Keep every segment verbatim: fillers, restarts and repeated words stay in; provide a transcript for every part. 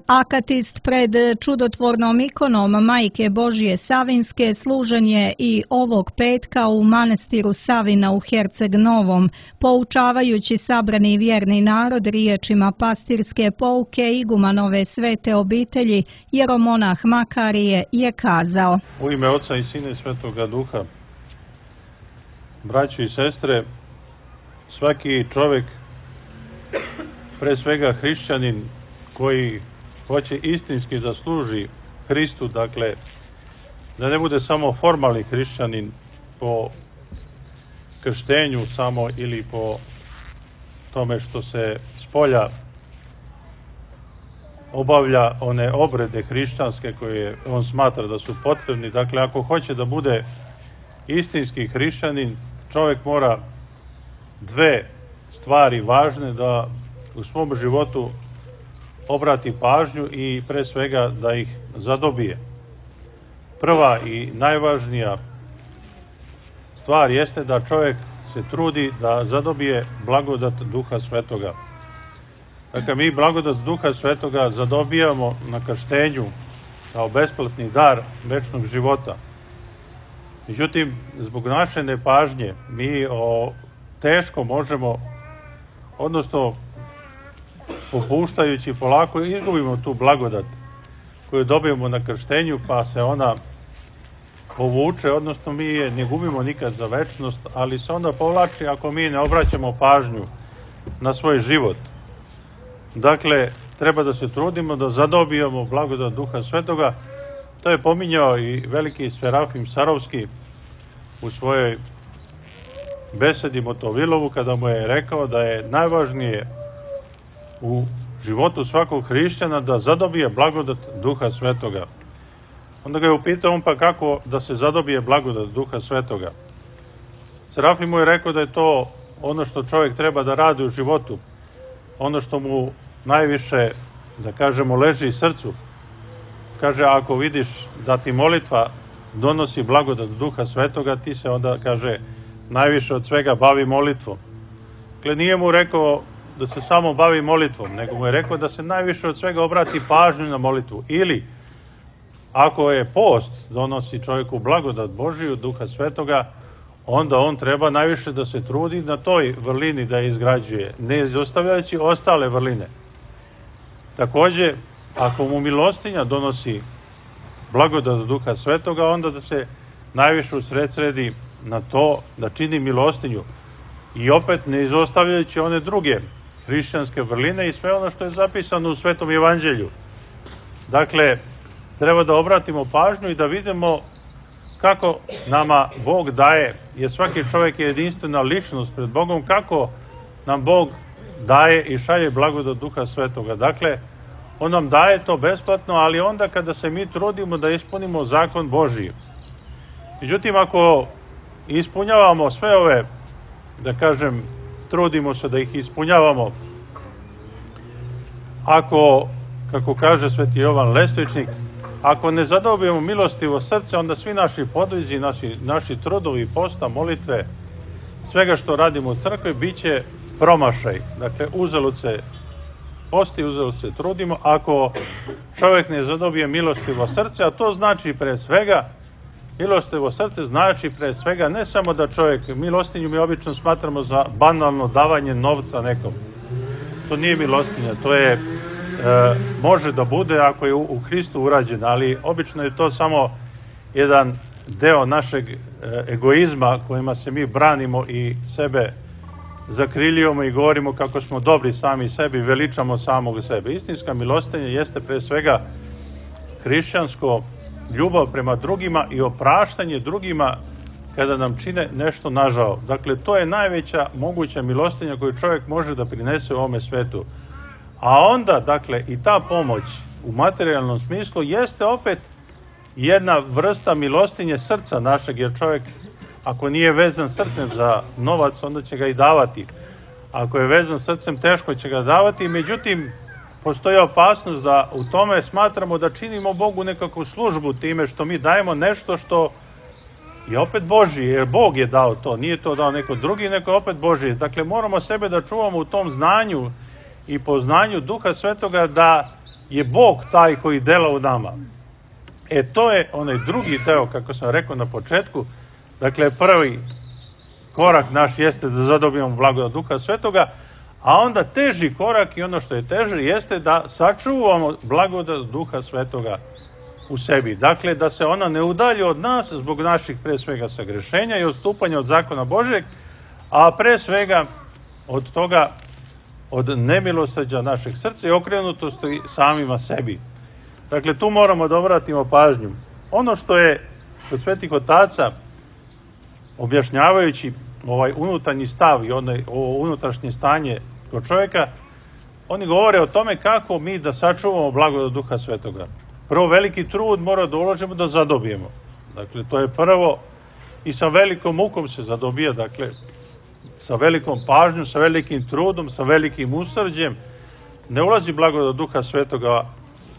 Akatist pred čudotvornom ikonom Majke Božje Savinske služen je i ovog petka u manastiru Savina u Herceg Novom, poučavajući sabrani vjerni narod riječima pastirske pouke igumanove svete obitelji, jeromonah Makarije je kazao: U ime Oca i Sina i Svetoga Duha, braćo i sestre, svaki čovjek, pre svega hrišćanin koji hoće istinski da služi Hristu, dakle, da ne bude samo formalni hrišćanin po krštenju samo ili po tome što se spolja obavlja one obrede hrišćanske koje on smatra da su potrebni. Dakle, ako hoće da bude istinski hrišćanin, čovjek mora dve stvari važne da u svom životu obrati pažnju i pre svega da ih zadobije. Prva i najvažnija stvar jeste da čovjek se trudi da zadobije blagodat Duha Svetoga. Dakle, mi blagodat Duha Svetoga zadobijamo na krštenju kao besplatni dar večnog života. Međutim, zbog naše nepažnje mi o, teško možemo, odnosno popuštajući polako, izgubimo tu blagodat koju dobijemo na krštenju, pa se ona povuče, odnosno mi je ne gubimo nikad za večnost, ali se onda povlači ako mi ne obraćamo pažnju na svoj život. Dakle, treba da se trudimo da zadobijemo blagodat Duha Svetoga. To je pominjao i veliki Serafim Sarovski u svojoj besedi Motovilovu, kada mu je rekao da je najvažnije u životu svakog hrišćana da zadobije blagodat Duha Svetoga. Onda ga je upitao on, pa kako da se zadobije blagodat Duha Svetoga? Serafim mu je rekao da je to ono što čovjek treba da radi u životu, ono što mu najviše, da kažemo, leži srcu. Kaže, ako vidiš da ti molitva donosi blagodat Duha Svetoga, ti se onda, kaže, najviše od svega bavi molitvom. Dakle, nije mu rekao da se samo bavi molitvom, nego mu je rekao da se najviše od svega obrati pažnju na molitvu. Ili, ako je post donosi čovjeku blagodat Božiju, Duha Svetoga, onda on treba najviše da se trudi na toj vrlini da je izgrađuje, ne izostavljajući ostale vrline. Također, ako mu milostinja donosi blagodat Duha Svetoga, onda da se najviše usredsredi na to da čini milostinju i opet ne izostavljajući one druge hrišćanske vrline i sve ono što je zapisano u Svetom Evanđelju. Dakle, treba da obratimo pažnju i da vidimo kako nama Bog daje, jer svaki čovjek je jedinstvena ličnost pred Bogom, kako nam Bog daje i šalje blagodat Duha Svetoga. Dakle, on nam daje to besplatno, ali onda kada se mi trudimo da ispunimo zakon Božiji. Međutim, ako ispunjavamo sve ove, da kažem, trudimo se da ih ispunjavamo, ako, kako kaže sveti Jovan Lestvičnik, ako ne zadobijemo milostivo srce, onda svi naši podvizi, naši, naši trudovi, posta, molitve, svega što radimo u crkvi, bit će promašaj. Dakle, uzalud se posti, uzalud se trudimo. Ako čovjek ne zadobije milostivo srce, a to znači pre svega, milostivo srce znači pre svega ne samo da čovjek, milostinju mi obično smatramo za banalno davanje novca nekom. To nije milostinja, to je, e, može da bude ako je u, u Hristu urađeno, ali obično je to samo jedan deo našeg e, egoizma kojima se mi branimo i sebe zakriljujemo i govorimo kako smo dobri sami sebi, veličamo samog sebe. Istinska milostinja jeste pre svega hrišćansko ljubav prema drugima i opraštanje drugima kada nam čine nešto nažao. Dakle, to je najveća moguća milostinja koju čovjek može da prinese u ovome svetu. A onda, dakle, i ta pomoć u materijalnom smislu jeste opet jedna vrsta milostinje srca našeg, jer čovjek, ako nije vezan srcem za novac, onda će ga i davati. Ako je vezan srcem, teško će ga davati. Međutim, postoji opasnost da u tome smatramo da činimo Bogu nekakvu službu time što mi dajemo nešto što je opet Božije, jer Bog je dao to, nije to dao neko drugi, neko opet Božije. Dakle, moramo sebe da čuvamo u tom znanju i poznanju Duha Svetoga, da je Bog taj koji dela u nama. E to je onaj drugi deo, kako sam rekao na početku, dakle prvi korak naš jeste da zadobijemo blagodat Duha Svetoga, a onda teži korak i ono što je teže jeste da sačuvamo blagodat Duha Svetoga u sebi. Dakle, da se ona ne udalji od nas zbog naših pre svega sagrešenja i odstupanja od zakona Božeg, a pre svega od toga, od nemilosrđa našeg srca i okrenutosti samima sebi. Dakle, tu moramo da obratimo pažnju. Ono što je kod svetih otaca, objašnjavajući ovaj unutarnji stav i onaj, ovo unutrašnje stanje kod čovjeka, oni govore o tome kako mi da sačuvamo blagodat Duha Svetoga. Prvo, veliki trud mora da uložimo da zadobijemo. Dakle, to je prvo i sa velikom mukom se zadobija, dakle, sa velikom pažnjom, sa velikim trudom, sa velikim usrđem. Ne ulazi blagodat Duha Svetoga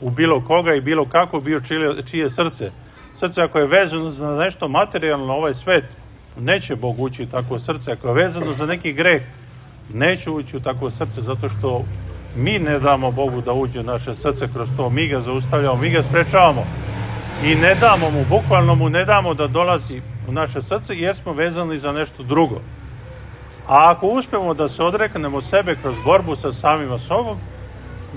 u bilo koga i bilo kako bio čije, čije srce. Srce ako je vezano za nešto materijalno na ovaj svet, neće Bog ući u takvo srce. Ako je vezano za neki greh, neće ući u takvo srce, zato što mi ne damo Bogu da uđe u naše srce kroz to. Mi ga zaustavljamo, mi ga sprečavamo i ne damo mu, bukvalno mu ne damo da dolazi u naše srce jer smo vezani za nešto drugo. A ako uspemo da se odreknemo sebe kroz borbu sa samima sobom,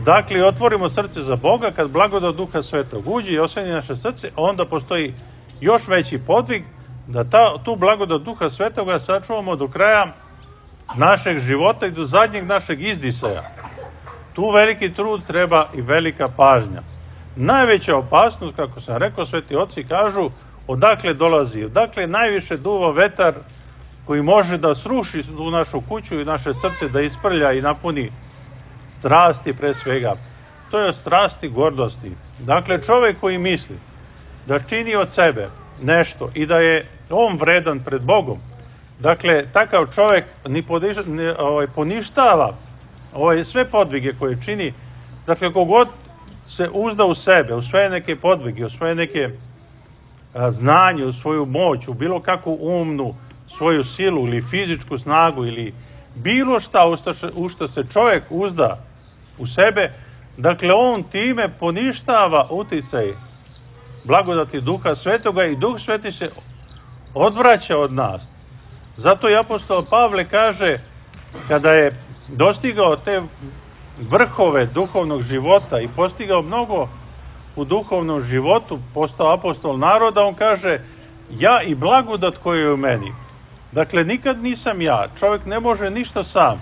dakle otvorimo srce za Boga, kad blagodat Duha Svetog uđe i osvani naše srce, onda postoji još veći podvig da ta, tu blagodat Duha Svetoga sačuvamo do kraja našeg života i do zadnjeg našeg izdisaja. Tu veliki trud treba i velika pažnja. Najveća opasnost, kako sam rekao, sveti oci kažu, odakle dolazi, odakle najviše duva vetar koji može da sruši u našu kuću i naše srce, da isprlja i napuni strasti pre svega. To je strasti gordosti. Dakle, čovjek koji misli da čini od sebe nešto i da je on vredan pred Bogom, dakle, takav čovjek ni podiž, ni, ovaj, poništava ovaj, sve podvige koje čini. Dakle, kogod se uzda u sebe, u svoje neke podvige, u svoje neke a, znanje, u svoju moć, u bilo kakvu umnu svoju silu ili fizičku snagu ili bilo šta u što se čovjek uzda u sebe, dakle on time poništava uticaj blagodati Duha Svetoga i Duh Sveti se odvraća od nas. Zato i apostol Pavle kaže, kada je dostigao te vrhove duhovnog života i postigao mnogo u duhovnom životu, postao apostol naroda, on kaže, ja i blagodat koji je u meni. Dakle, nikad nisam ja. Čovjek ne može ništa sam.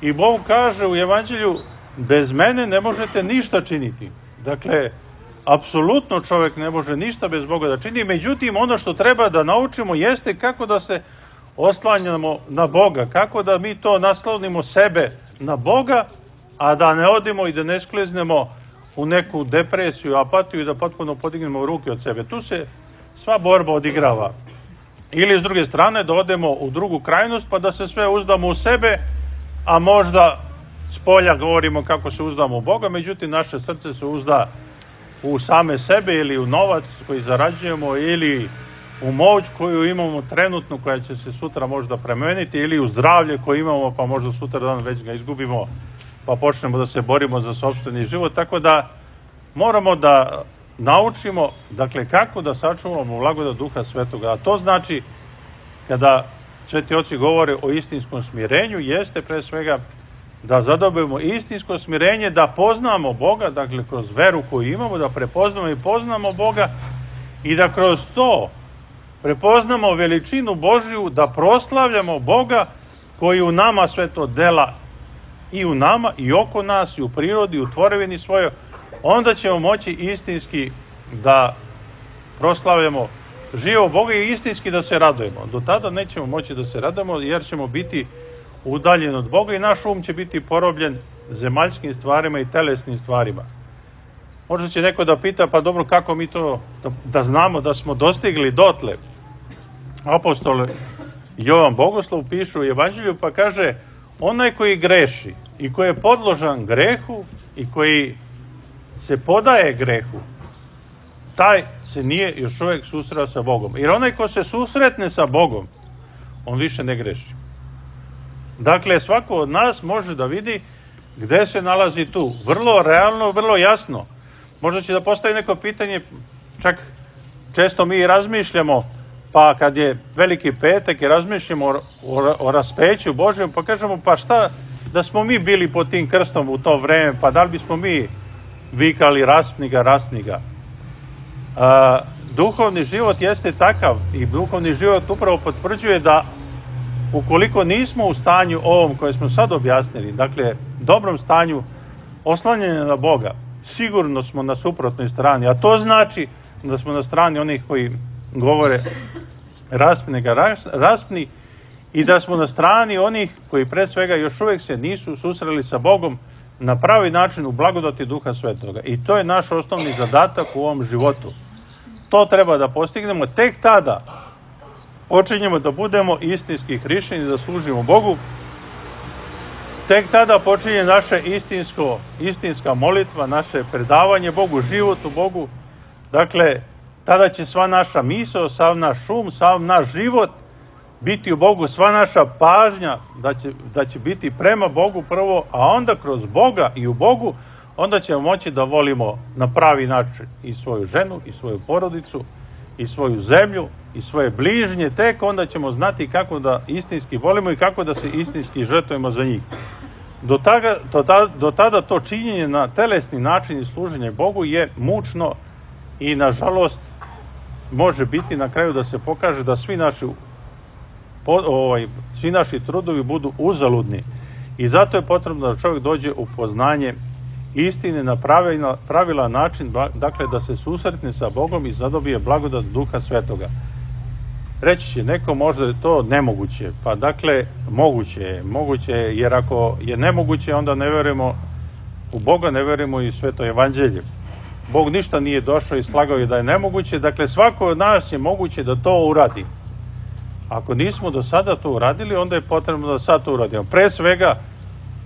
I Bog kaže u Evanđelju, bez mene ne možete ništa činiti. Dakle, apsolutno čovjek ne može ništa bez Boga da čini. Međutim, ono što treba da naučimo jeste kako da se oslanjamo na Boga. Kako da mi to naslonimo sebe na Boga, a da ne odimo i da ne skliznemo u neku depresiju, apatiju i da potpuno podignemo ruke od sebe. Tu se sva borba odigrava. Ili s druge strane da odemo u drugu krajnost pa da se sve uzdamo u sebe, a možda s polja govorimo kako se uzdamo u Boga, međutim naše srce se uzda u same sebe ili u novac koji zarađujemo ili u moć koju imamo trenutno koja će se sutra možda premeniti ili u zdravlje koje imamo pa možda sutra dan već ga izgubimo pa počnemo da se borimo za sopstveni život. Tako da moramo da naučimo, dakle, kako da sačuvamo blagodat Duha Svetoga. A to znači, kada sveti oci govore o istinskom smirenju, jeste pre svega da zadobijemo istinsko smirenje, da poznamo Boga, dakle, kroz veru koju imamo, da prepoznamo i poznamo Boga i da kroz to prepoznamo veličinu Božju, da proslavljamo Boga koji u nama sve to dela i u nama i oko nas i u prirodi, u tvorevini svojoj. Onda ćemo moći istinski da proslavljamo živo Boga i istinski da se radujemo. Do tada nećemo moći da se radujemo jer ćemo biti udaljeni od Boga i naš um će biti porobljen zemaljskim stvarima i telesnim stvarima. Možda će neko da pita, pa dobro, kako mi to da, da znamo da smo dostigli dotle? Apostol Jovan Bogoslov piše u Evanđelju pa kaže, onaj koji greši i koji je podložan grehu i koji se podaje grehu, taj se nije još uvijek susreo sa Bogom. Jer onaj ko se susretne sa Bogom, on više ne greši. Dakle, svako od nas može da vidi Gde se nalazi tu? Vrlo realno, vrlo jasno. Možda će da postavi neko pitanje, čak često mi razmišljamo, pa kad je Veliki petak i razmišljamo o, o, o raspeću Božjem, pa kažemo, pa šta da smo mi bili pod tim krstom u to vreme, pa da li bismo mi vikali raspni ga, raspni ga. A, duhovni život jeste takav i duhovni život upravo potvrđuje da ukoliko nismo u stanju ovom koje smo sad objasnili, dakle dobrom stanju oslanjanja na Boga, sigurno smo na suprotnoj strani, a to znači da smo na strani onih koji govore raspni ga, raspni, i da smo na strani onih koji pre svega još uvek se nisu susreli sa Bogom na pravi način u blagodati Duha Svetoga. I to je naš osnovni zadatak u ovom životu. To treba da postignemo, tek tada počinjemo da budemo istinski hrišćani, da služimo Bogu. Tek tada počinje naše istinsko, istinska molitva, naše predavanje Bogu, život u Bogu. Dakle, tada će sva naša misao, sav naš šum, sav naš život biti u Bogu, sva naša pažnja da će, da će biti prema Bogu prvo, a onda kroz Boga i u Bogu, onda ćemo moći da volimo na pravi način i svoju ženu, i svoju porodicu, i svoju zemlju, i svoje bližnje. Tek onda ćemo znati kako da istinski volimo i kako da se istinski žrtvujemo za njih. Do, taga, do, tada, do tada to činjenje na telesni način i služenje Bogu je mučno i nažalost može biti na kraju da se pokaže da svi naši po, ovaj, svi naši trudovi budu uzaludni. I zato je potrebno da čovjek dođe u poznanje istine na pravilan, pravilan način, dakle da se susretne sa Bogom i zadobije blagodat Duha Svetoga. Reći će neko, možda je to nemoguće. Pa dakle, moguće je. Moguće je, jer ako je nemoguće, onda ne verujemo u Boga, ne verujemo i Sveto evanđelje. Bog ništa nije došao i slagao je da je nemoguće. Dakle, svako od nas je moguće da to uradi. Ako nismo do sada to uradili, onda je potrebno da sad to uradimo. Pre svega,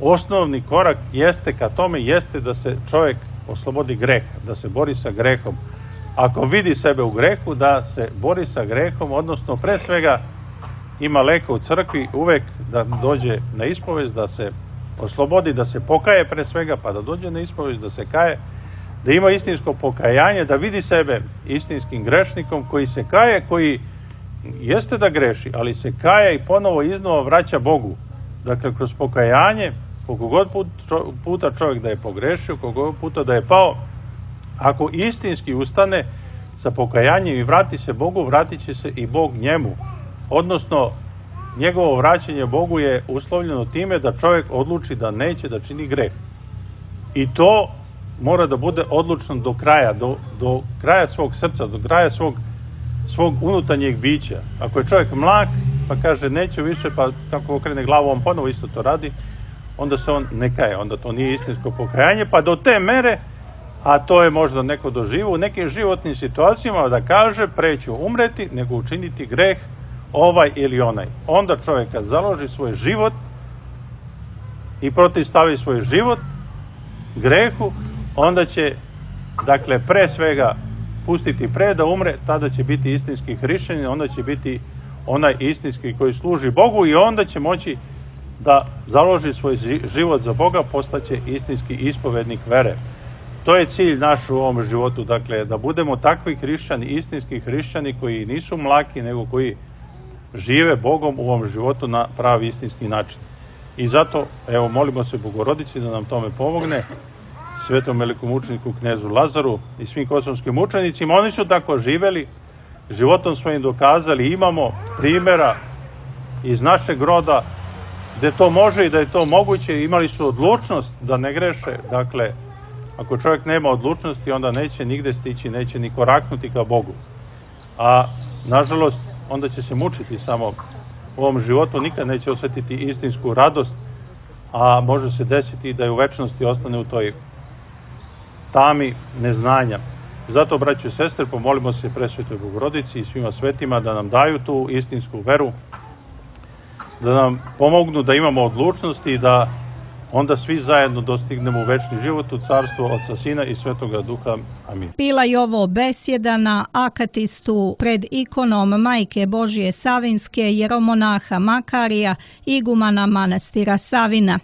osnovni korak jeste ka tome, jeste da se čovjek oslobodi greha, da se bori sa grehom. Ako vidi sebe u grehu, da se bori sa grehom, odnosno pre svega ima leka u crkvi, uvek da dođe na ispovest, da se oslobodi, da se pokaje pre svega, pa da dođe na ispovest, da se kaje, da ima istinsko pokajanje, da vidi sebe istinskim grešnikom koji se kaje, koji jeste da greši, ali se kaje i ponovo iznova vraća Bogu. Dakle, kroz pokajanje, koliko god puta čovjek da je pogrešio, koliko god puta da je pao, ako istinski ustane sa pokajanjem i vrati se Bogu, vratit će se i Bog njemu. Odnosno, njegovo vraćanje Bogu je uslovljeno time da čovjek odluči da neće da čini greh. I to mora da bude odlučno do kraja, do, do kraja svog srca, do kraja svog, svog unutarnjeg bića. Ako je čovjek mlak, pa kaže neću više, pa kako okrene glavu, on ponovo isto to radi, onda se on ne kaje, onda to nije istinsko pokajanje, pa do te mere, a to je možda neko doživo u nekim životnim situacijama, da kaže preću umreti nego učiniti greh ovaj ili onaj. Onda čovjek kad založi svoj život i protivstavi svoj život grehu, onda će, dakle, pre svega pustiti pre da umre, tada će biti istinski hrišćanin, onda će biti onaj istinski koji služi Bogu i onda će moći da založi svoj život za Boga, postaće istinski ispovednik vere. To je cilj naš u ovom životu, dakle, da budemo takvi hrišćani, istinski hrišćani koji nisu mlaki, nego koji žive Bogom u ovom životu na pravi istinski način. I zato, evo, molimo se Bogorodici da nam tome pomogne, svetom velikomučeniku knezu Lazaru i svim kosovskim mučenicima. Oni su tako živeli, životom svojim dokazali, imamo primjera iz našeg roda gde to može i da je to moguće, imali su odlučnost da ne greše. Dakle, ako čovjek nema odlučnosti, onda neće nigde stići, neće ni koraknuti ka Bogu. A, nažalost, onda će se mučiti samo u ovom životu, nikad neće osjetiti istinsku radost, a može se desiti da je u večnosti ostane u toj tami neznanja. Zato, braćo i sestre, pomolimo se Presvetoj Bogorodici i svima svetima da nam daju tu istinsku veru, da nam pomognu da imamo odlučnost i da onda svi zajedno dostignemo u večni život u carstvo Otca, Sina i Svetoga Duha. Amin. Bila je ovo besjeda na akatistu pred ikonom Majke Božije Savinske, jeromonaha Makarija, igumana manastira Savina.